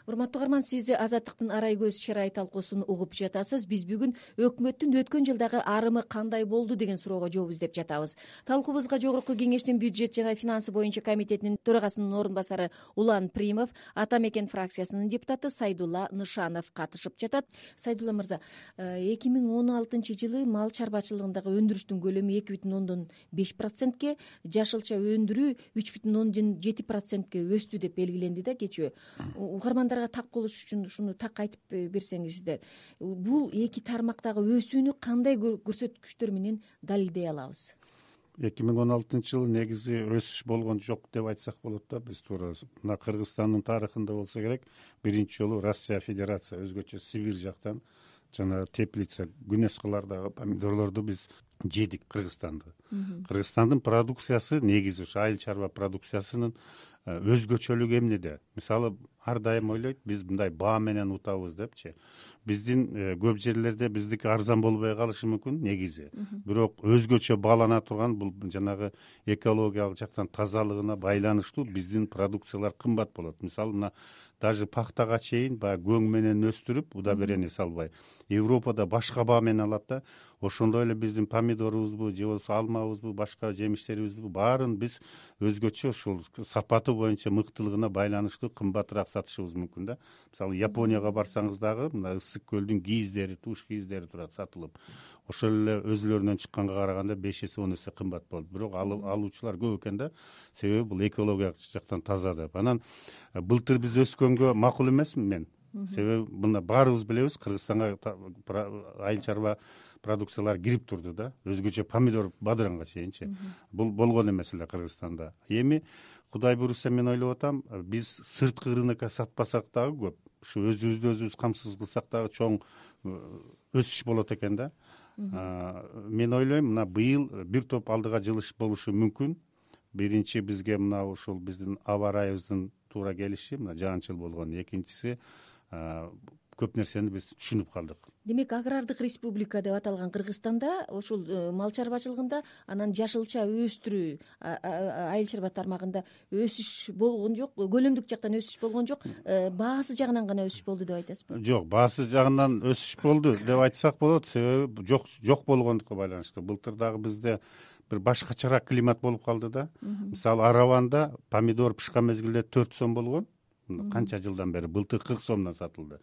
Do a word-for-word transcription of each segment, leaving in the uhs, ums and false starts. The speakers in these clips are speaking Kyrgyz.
Урматтуу угарман, сиз Азаттыктын арай көз чырай талкуусун угуп жатасыз. Биз бүгүн өкмөттүн өткөн жылдагы арымы кандай болду деген суроого жооп издеп жатабыз. Талкуубузга Жогорку Кеңештин бюджет жана финансы боюнча комитетинин төрагасынын орун басары Улан Примов, Ата Мекен фракциясынын депутаты Сайдулла Нышанов катышып жатат. Сайдулла мырза, эки миң он алтынчы жылы мал чарбачылыгындагы өндүрүштүн көлөмү эки бүтүн ондон беш процентке, жашылча өндүрүү үч бүтүн ондон жети процентке өстү деп белгиленди да кечээ. Угармандарга так болуш үчүн ушуну так айтып берсеңиздер, бул эки тармактагы өсүүнү кандай көрсөткүчтөр менен далилдей алабыз? эки миң он алтынчы жылы негизи өсүш болгон жок деп айтсак болот да. Биз туура мына Кыргызстандын тарыхында болсо керек, биринчи жолу Россия Федерация өзгөчө Сибирь жактан жана теплица Гүнөскалардагы помидорлорду биз жедик. Кыргызстанды Кыргызстандын продукциясы негизи ушу айыл чарба продукциясынын өзгөчөлүгү эмнеде? Мисалы, ар дайым ойлойт, биз мындай баа менен утабыз депчи. Биздин көп жерлерде биздики арзан болбой калышы мүмкүн негизи. Бирок өзгөчө баалана турган бул жанагы экологиялык жактан тазалыгына байланыштуу биздин продукциялар кымбат болот. Мисалы, мына даже пахтага чейин баягы көң менен өстүрүп, удобрение салбай, Европада башка баа менен алат да. Ошондой эле биздин помидорубузбу же болбосо алмабызбы, башка жемиштерибизби баарын биз өзгөчө ушул сапаты боюнча мыктылыгына байланыштуу кымбатыраак сатышыбыз мүмкүн да. Мисалы, Японияга барсаңыз дагы мына ысык көлдүн кийиздери, туш кийиздери турат сатылып. Ошол эле өзүлөрүнөн чыкканга караганда беш эсе он эсе кымбат болот. Бирок алуучулар көп экен да. Себеби бул экологиялык жактан таза деп. Анан былтыр биз өскөнгө макул эмесмин мен. Себеби мына баарыбыз билебиз, Кыргызстанга айыл чарба продукциялар кирип турду да. Өзгөчө помидор бадыранга чейинчи. Бул болгон эмес эле Кыргызстанда. Эми Кудай буйруса мен ойлоп атам, биз сырткы рынокко сатпасак дагы көп, ушу өзүбүздү өзүбүз камсыз кылсак дагы чоң өсүш болот экен да. Мен ойлойм, мына быйыл бир топ алдыга жылыш болушу мүмкүн. Биринчи бизге мына ушул биздин аба ырайыбыздын туура келиши, мына жаанчыл болгон. Экинчиси, көп нерсени биз түшүнүп калдык. Демек, агрардык республика деп аталган Кыргызстанда ушул мал чарбачылыгында, анан жашылча өстүрүү, айыл чарба тармагында өсүш болгон жок, көлөмдүк жактан өсүш болгон жок, баасы жагынан гана өсүш болду деп айтасызбы? Жок, баасы жагынан өсүш болду деп айтсак болот. Себеби жок жок болгондукка байланыштуу. Былтыр дагы бизде бир башкачараак климат болуп калды да. Мисалы, Араванда помидор пышкан мезгилде төрт сом болгон. Канча жылдан бери былтыр кырк сомдон сатылды.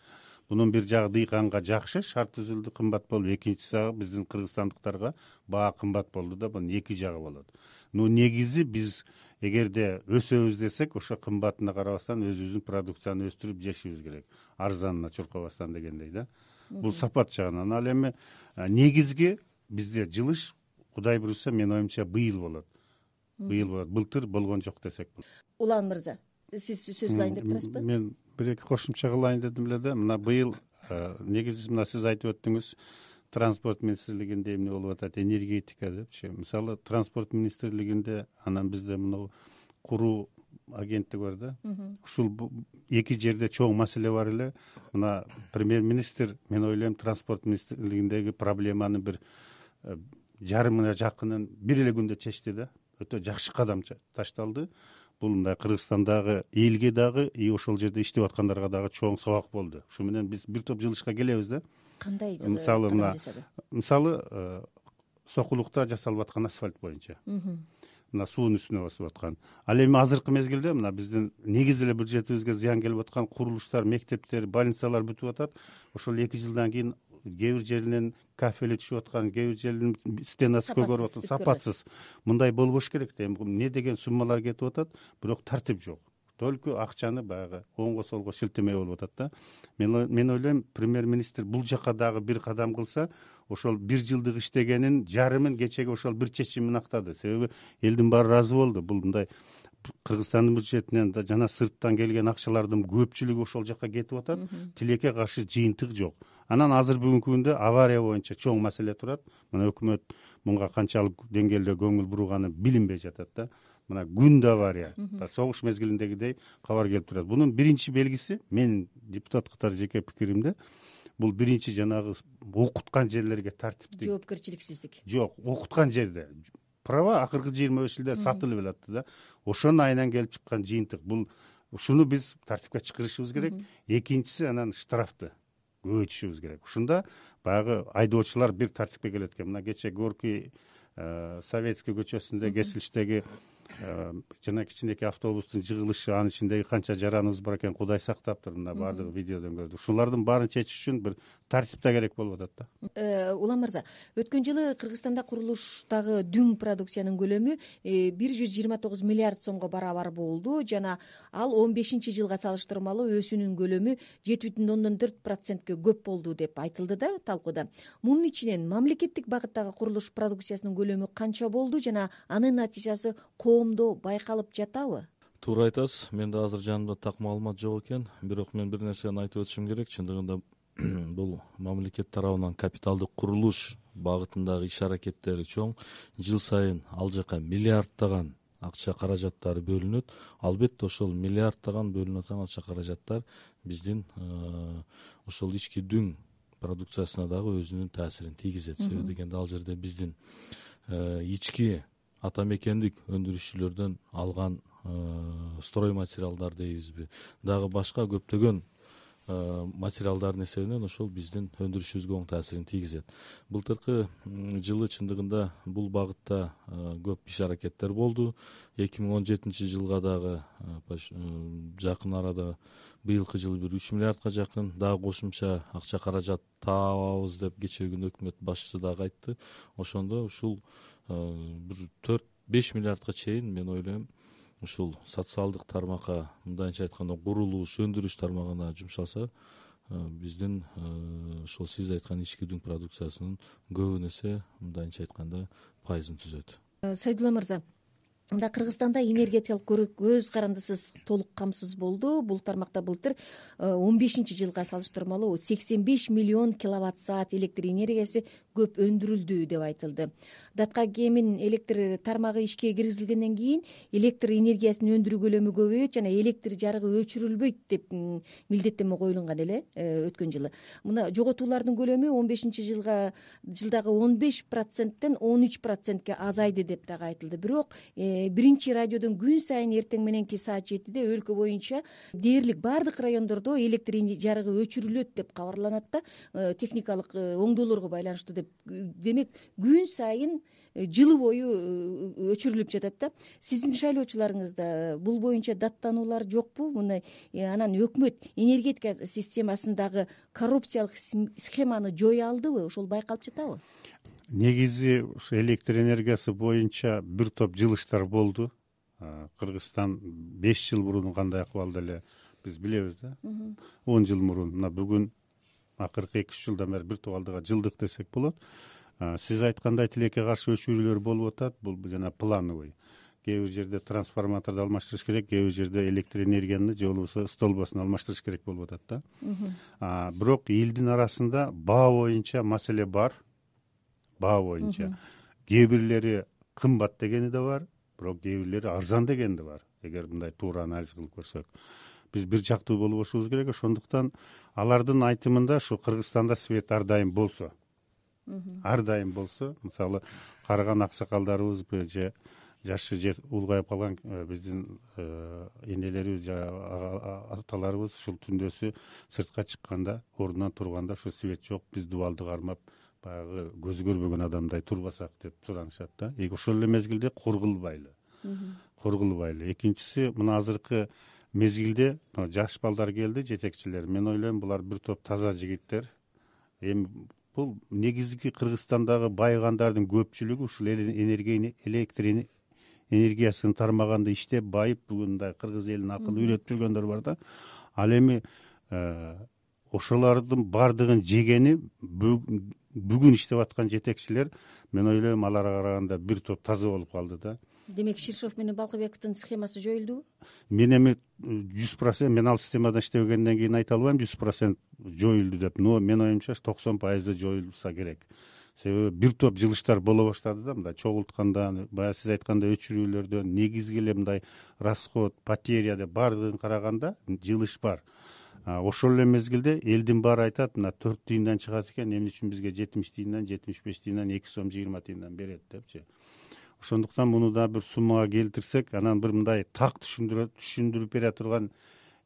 Бунун бир жагы дыйканга жакшы, шарт түзүлдү, кымбат болду. Экинчиси жагы биздин кыргызстандыктарга баа кымбат болду да. Бунун эки жагы болот. Но негизи биз эгерде өсөбүз десек, ошо кымбатына карабастан өзүбүздүн продукцияны өстүрүп жешибиз керек. Арзанына чуркабастан дегендей да. Бул сапат жагынан. Ал эми негизги бизде жылыш, Кудай буйруса, мен оюмча быйыл болот. Быйыл болот. Былтыр болгон жок десек болот. Улан мырза, сиз сөз алайын деп турасызбы? Мен бир эки кошумча кылайын дедим эле да. Мына быйыл негизи мына сиз айтып өттүңүз, транспорт министрлигинде эмне болуп атат, энергетика депчи. Мисалы, транспорт министрлигинде анан бизде мына куруу агенттик бар да. Ушул эки жерде чоң маселе бар эле. Мына премьер-министр, мен ойлойм, транспорт министрлигиндеги проблеманы бир жарымына жакынын бир эле күндө чечти да. Өтө жакшы кадам ташталды. Бул мындай Кыргызстандагы элге дагы, и ошол жерде иштеп аткандарга дагы чоң сабак болду. Ушу менен биз бир топ жылышка келебиз да. Кандай? Мисалы, мына мисалы Сокулукта жасалып аткан асфальт боюнча. Мына суунун үстүнө басып аткан. Ал эми азыркы мезгилде мына биздин негизи эле бюджетибизге зыян келип аткан курулуштар, мектептер, больницалар бүтүп атат. Ошол эки жылдан кийин кээ бир жеринен кафели түшүп аткан, кээ бир жеринин стенасы көгөрүп аткан, сапатсыз. Мындай болбош керек да. Эмне деген суммалар кетип атат, бирок тартип жок. Только акчаны баягы оңго солго шилтемей болуп атат да. Мен мен ойлойм, премьер-министр бул жака дагы бир кадам кылса, ошол бир жылдык иштегенин жарымын кечеге ошол бир чечим менен актады. Себеби элдин баары ыраазы болду. Бул мындай Кыргызстандын бюджетинен жана сырттан келген акчалардын көпчүлүгү ошол жака кетип атат. Тилекке каршы жыйынтык жок. Анан азыр бүгүнкү күндө авария боюнча чоң маселе турат. Мына өкмөт мунга канчалык деңгээлде көңүл бурганы билинбей жатат да. Мына күндө авария, согуш мезгилиндегидей кабар келип турат. Бунун биринчи белгиси, менин депутат катары жеке пикиримде, бул биринчи жанагы окуткан жерлерге тартиптик жоопкерчиликсиздик. Жок, окуткан жерде права акыркы жыйырма беш жылда сатылып эле атты да. Ошонун айынан келип чыккан жыйынтык. Бул ушуну биз тартипке чакырышыбыз керек. Экинчиси анан штрафты көбөйтүшүбүз керек. Ушунда баягы айдоочулар бир тартипке келет экен. Мына кече Горький Советский көчөсүндө кесилиштеги жана кичинекей автобустун жыгылышы, анын ичиндеги канча жараныбыз бар экен, Кудай сактаптыр. Мына баардыгы видеодон көрдүк. Ушулардын баарын чечиш үчүн бир тартипте керек болуп атат да. Улан мырза, өткөн жылы Кыргызстанда курулуштагы дүң продукциянын көлөмү бир жүз жыйырма тогуз миллиард сомго барабар болду жана ал он бешинчи жылга салыштырмалуу өсүүнүн көлөмү жети бүтүн ондон төрт процентке көп болду деп айтылды да талкууда. Мунун ичинен мамлекеттик багыттагы курулуш продукциясынын көлөмү канча болду жана анын натыйжасы коомдо байкалып жатабы? Туура айтасыз. Менде азыр жанымда так маалымат жок экен. Бирок мен бир нерсени айтып өтүшүм керек. Чындыгында бул мамлекет тарабынан капиталдык курулуш багытындагы иш аракеттери чоң. Жыл сайын ал жака миллиардтаган акча каражаттары бөлүнөт. Албетте ошол миллиардтаган бөлүнүп аткан акча каражаттар биздин ошол ички дүң продукциясына дагы өзүнүн таасирин тийгизет. Себеби дегенде ал жерде биздин ички ата мекендик өндүрүшчүлөрдөн алган строй материалдар дейбизби, дагы башка көптөгөн материалдардын эсебинен ошол биздин өндүрүшүбүзгө оң таасирин тийгизет. Былтыркы жылы чындыгында бул багытта көп иш аракеттер болду. эки миң он жетинчи жылга дагы жакын арада быйылкы жылы бир үч миллиардка жакын дагы кошумча акча каражат табабыз деп кечеги күнү өкмөт башчысы дагы айтты. Ошондо ушул бир төрт беш миллиардка чейин мен ойлойм ушул социалдык тармакка, мындайча айтканда курулуш, өндүрүш тармагына жумшалса, биздин ошол сиз айткан ички дүң продукциясынын көбүн эсе, мындайча айтканда, пайызын түзөт. Сайдулла мырза, мында Кыргызстанда энергетикалык көз карандысыз толук камсыз болду. Бул тармакта былтыр он бешинчи жылга салыштырмалуу сексен беш миллион киловатт саат электр энергиясы көп өндүрүлдү деп айтылды. Датка кемин электр тармагы ишке киргизилгенден кийин электр энергиясын өндүрүү көлөмү көбөйөт жана электр жарыгы өчүрүлбөйт деп милдеттенме коюлган эле өткөн жылы. Мына жоготуулардын көлөмү он бешинчи жылга жылдагы он беш проценттен он үч процентке азайды деп дагы айтылды. Бирок биринчи радиодон күн сайын эртең мененки саат жетиде өлкө боюнча дээрлик баардык райондордо электр жарыгы өчүрүлөт деп кабарланат да, техникалык оңдоолорго байланыштуу деп. Демек күн сайын жылы бою өчүрүлүп жатат да. Сиздин шайлоочуларыңызда бул боюнча даттануулар жокпу? Мына анан өкмөт энергетика системасындагы коррупциялык схеманы жоя алдыбы? Ошол байкалып жатабы? Негизи ушу электр энергиясы боюнча бир топ жылыштар болду. Кыргызстан беш жыл мурун кандай акыбалда эле биз билебиз да. он жыл мурун, мына бүгүн акыркы эки үч жылдан бери бир топ алдыга жылдык десек болот. Сиз айткандай тилекке каршы өчүрүүлөр болуп атат. Бул жана плановый. Кээ бир жерде трансформаторду алмаштырыш керек, кээ бир жерде электр энергияны же болбосо столбосун алмаштырыш керек болуп атат да. Бирок элдин арасында баа боюнча маселе бар. Баа боюнча кээ бирлери кымбат дегени да бар, бирок кээ бирлери арзан дегени да бар. Эгер мындай туура анализ кылып көрсөк, биз бир жактуу болбошубуз керек. Ошондуктан алардын айтымында ушу Кыргызстанда свет ар дайым болсо, ар дайым болсо, мисалы карыган аксакалдарыбыз же жашы же улгайып калган биздин энелерибиз же аталарыбыз ушул түндөсү сыртка чыкканда, ордунан турганда ушу свет жок, биз дубалды кармап баягы көзү көрбөгөн адамдай турбасак деп суранышат да. Ошол эле мезгилде кургулбайлы. Кургулбайлы. Экинчиси, мына азыркы мезгилде жаш балдар келди, жетекчилер. Мен ойлойм, булар бир топ таза жигиттер. Эми бул негизги Кыргызстандагы байыгандардын көпчүлүгү ушул энергия электр энергиясын тармаганда иштеп байып, бүгүн мындай кыргыз элин акыл үйрөтүп жүргөндөр бар да. Ал эми ошолордун бардыгын жегени бүгүн иштеп аткан жетекчилер, мен ойлойм, аларга караганда бир топ таза болуп калды да. Демек Ширшов менен Балкыбековдун схемасы жоюлдубу? Мен эми жүз процент мен ал системада иштебегенден кийин айта албайм жүз процент жоюлду деп, но мен оюмча токсон пайызы жоюлса керек. Себеби бир топ жылыштар боло баштады да, мындай чогултканда, баягы сиз айткандай өчүрүүлөрдөн, негизги эле мындай расход, потеря деп баардыгын караганда жылыш бар. Ошол эле мезгилде элдин баары айтат, мына төрт тыйындан чыгат экен, эмне үчүн бизге жетимиш тыйындан, жетимиш беш тыйындан, эки сом жыйырма тыйындан берет депчи. ошондуктан муну да бир суммага келтирсек, анан бир мындай так түшүндүрүп бере турган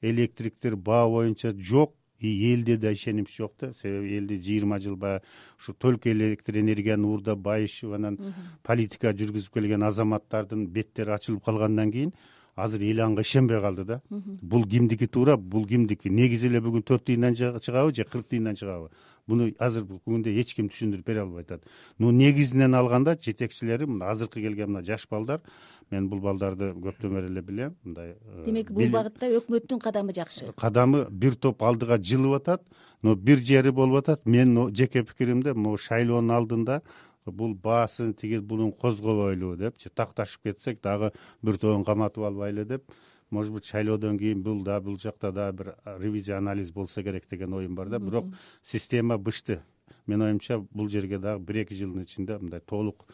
электриктер баа боюнча жок, и элде да ишенич жок да. Себеби элде жыйырма жыл баягы ушу только электр энергияны уурдап байышып, анан политика жүргүзүп келген азаматтардын беттери ачылып калгандан кийин азыр эл анга ишенбей калды да. Бул кимдики туура, бул кимдики? Негизи эле бүгүн төрт тыйындан чыгабы же кырк тыйындан чыгабы? Буну азыркы күндө эч ким түшүндүрүп бере албай атат. Но негизинен алганда жетекчилери мына азыркы келген мына жаш балдар, мен бул балдарды көптөн бери эле билем. Мындай демек бул багытта өкмөттүн кадамы жакшы. Кадамы бир топ алдыга жылып атат, но бир жери болуп атат. Мен жеке пикиримде могу шайлоонун алдында бул баасын тиги бунун козгобойлу депчи такташып кетсек дагы бир тобун каматып албайлы деп, может быть шайлоодон кийин бул да бул жакта да бир ревизия анализ болсо керек деген оюм бар да. Бирок система бышты. Менин оюмча бул жерге дагы бир эки жылдын ичинде мындай толук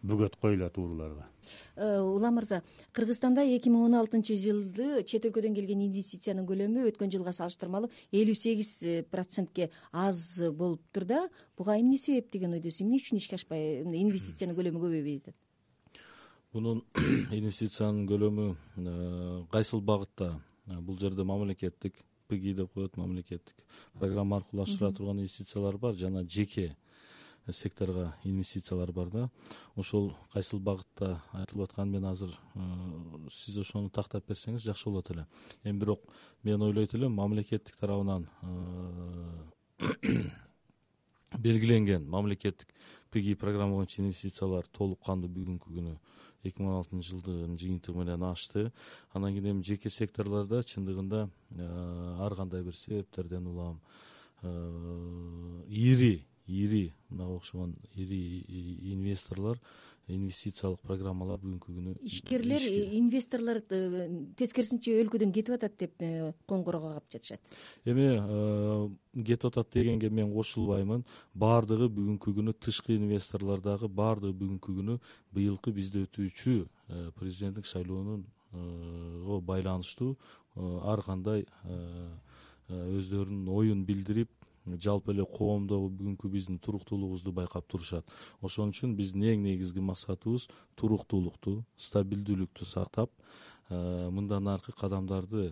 бөгөт коюлат урууларга. Улам мырза, Кыргызстанда эки миң он алтынчы жылды чет өлкөдөн келген инвестициянын көлөмү өткөн жылга салыштырмалуу элүү сегиз процентке аз болуптур да. Буга эмне себеп деген ойдосуз? Эмне үчүн ишке ашпай инвестициянын көлөмү көбөйбөй атат? Бунун инвестициянын көлөмү кайсыл багытта? Бул жерде мамлекеттик ПГИ деп коет, мамлекеттик программа аркылуу ашыра турган инвестициялар бар, жана жеке секторго инвестициялар бар да. Ошол кайсыл багытта айтылып аткан, мен азыр сиз ошону тактап берсеңиз жакшы болот эле. Эми бирок мен ойлойт элем, мамлекеттик тарабынан белгиленген мамлекеттик ПГИ программа боюнча инвестициялар толук кандуу бүгүнкү күнү эки миң он алтынчы жылдын жыйынтыгы менен ашты. Анан кийин эми жеке секторлордо чындыгында ар кандай бир себептерден улам ири ири мынга окшогон ири инвесторлор инвестициялык программалар бүгүнкү күнү ишкерлер, инвесторлор тескерисинче өлкөдөн кетип атат деп коңгуроо кагып жатышат. Эми кетип атат дегенге мен кошулбаймын. Баардыгы бүгүнкү күнү тышкы инвесторлор дагы баардыгы бүгүнкү күнү быйылкы бизде өтүүчү президенттик шайлоонунго байланыштуу ар кандай өздөрүнүн оюн билдирип, жалпы эле коомдогу бүгүнкү биздин туруктуулугубузду байкап турушат. Ошон үчүн биздин эң негизги максатыбыз туруктуулукту, стабилдүүлүктү сактап, мындан аркы кадамдарды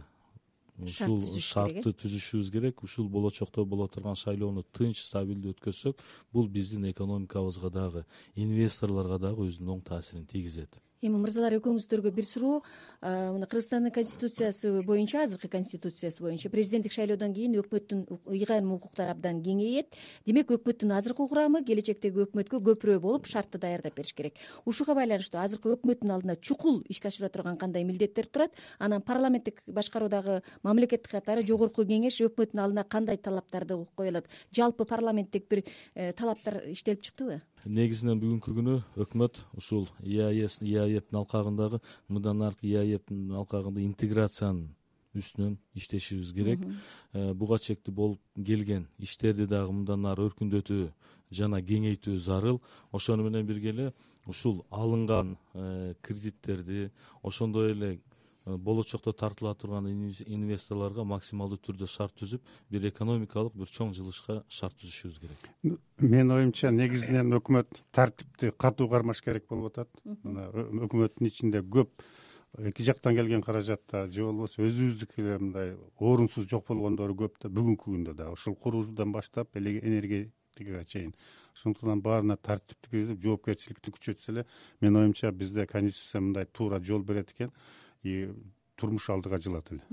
ушул шартты түзүшүбүз керек. Ушул болочокто боло турган шайлоону тынч, стабилдүү өткөзсөк, бул биздин экономикабызга дагы, инвесторлорго дагы өзүнүн оң таасирин тийгизет. Эми мырзалар, экөөңүздөргө бир суроо. Мына Кыргызстандын конституциясы боюнча, азыркы конституциясы боюнча президенттик шайлоодон кийин өкмөттүн ыйгарым укуктары абдан кеңейет. Демек өкмөттүн азыркы курамы келечектеги өкмөткө көпүрө болуп шартты даярдап бериш керек. Ушуга байланыштуу азыркы өкмөттүн алдына чукул ишке ашыра турган кандай милдеттер турат? Анан парламенттик башкаруудагы мамлекеттик катары жогорку кеңеш өкмөттүн алдына кандай талаптарды кое алат? Жалпы парламенттик бир талаптар иштелип чыктыбы? Негизинен бүгүнкү күнү өкмөт ушул ИАЭПтин алкагындагы мындан аркы ИАЭПтин алкагында интеграциянын үстүнөн иштешибиз керек. Буга чектүү болуп келген иштерди дагы мындан ары өркүндөтүү жана кеңейтүү зарыл. Ошону менен бирге эле ушул алынган кредиттерди, ошондой эле болочокто тартыла турган инвесторлорго максималдуу түрдө шарт түзүп, бир экономикалык бир чоң жылышка шарт түзүшүбүз керек. Менин оюмча негизинен өкмөт тартипти катуу кармаш керек болуп атат. Мына өкмөттүн ичинде көп эки жактан келген каражатта же болбосо өзүбүздүкү эле мындай орунсуз жок болгондору көп да бүгүнкү күндө да ушул куруудан баштап энергетикага чейин. Ошондуктан баарына тартипти киргизип, жоопкерчиликти күчөтсө эле, менин оюмча бизде конституция мындай туура жол берет экен. И турмуш алдыга жылат эле.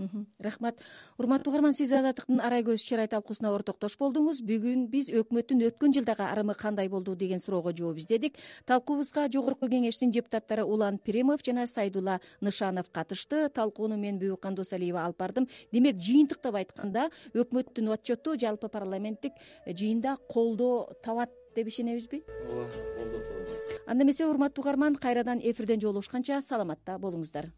Рахмат. Урматтуу угарман, сиз Азаттыктын арай көз чыр ай талкуусуна ортоктош болдуңуз. Бүгүн биз өкмөттүн өткөн жылдагы арымы кандай болду деген суроого жооп издедик. Талкуубузга жогорку кеңештин депутаттары Улан Пиримов жана Сайдулла Нышанов катышты. Талкууну мен Бүбүк Кандосалиева алып бардым. Демек, жыйынтыктап айтканда, өкмөттүн отчету жалпы парламенттик жыйында колдоо табат деп ишенебизби? Ооба, колдоо табат. Анда эмесе, урматтуу угарман, кайрадан эфирден жолугушканча саламатта болуңуздар.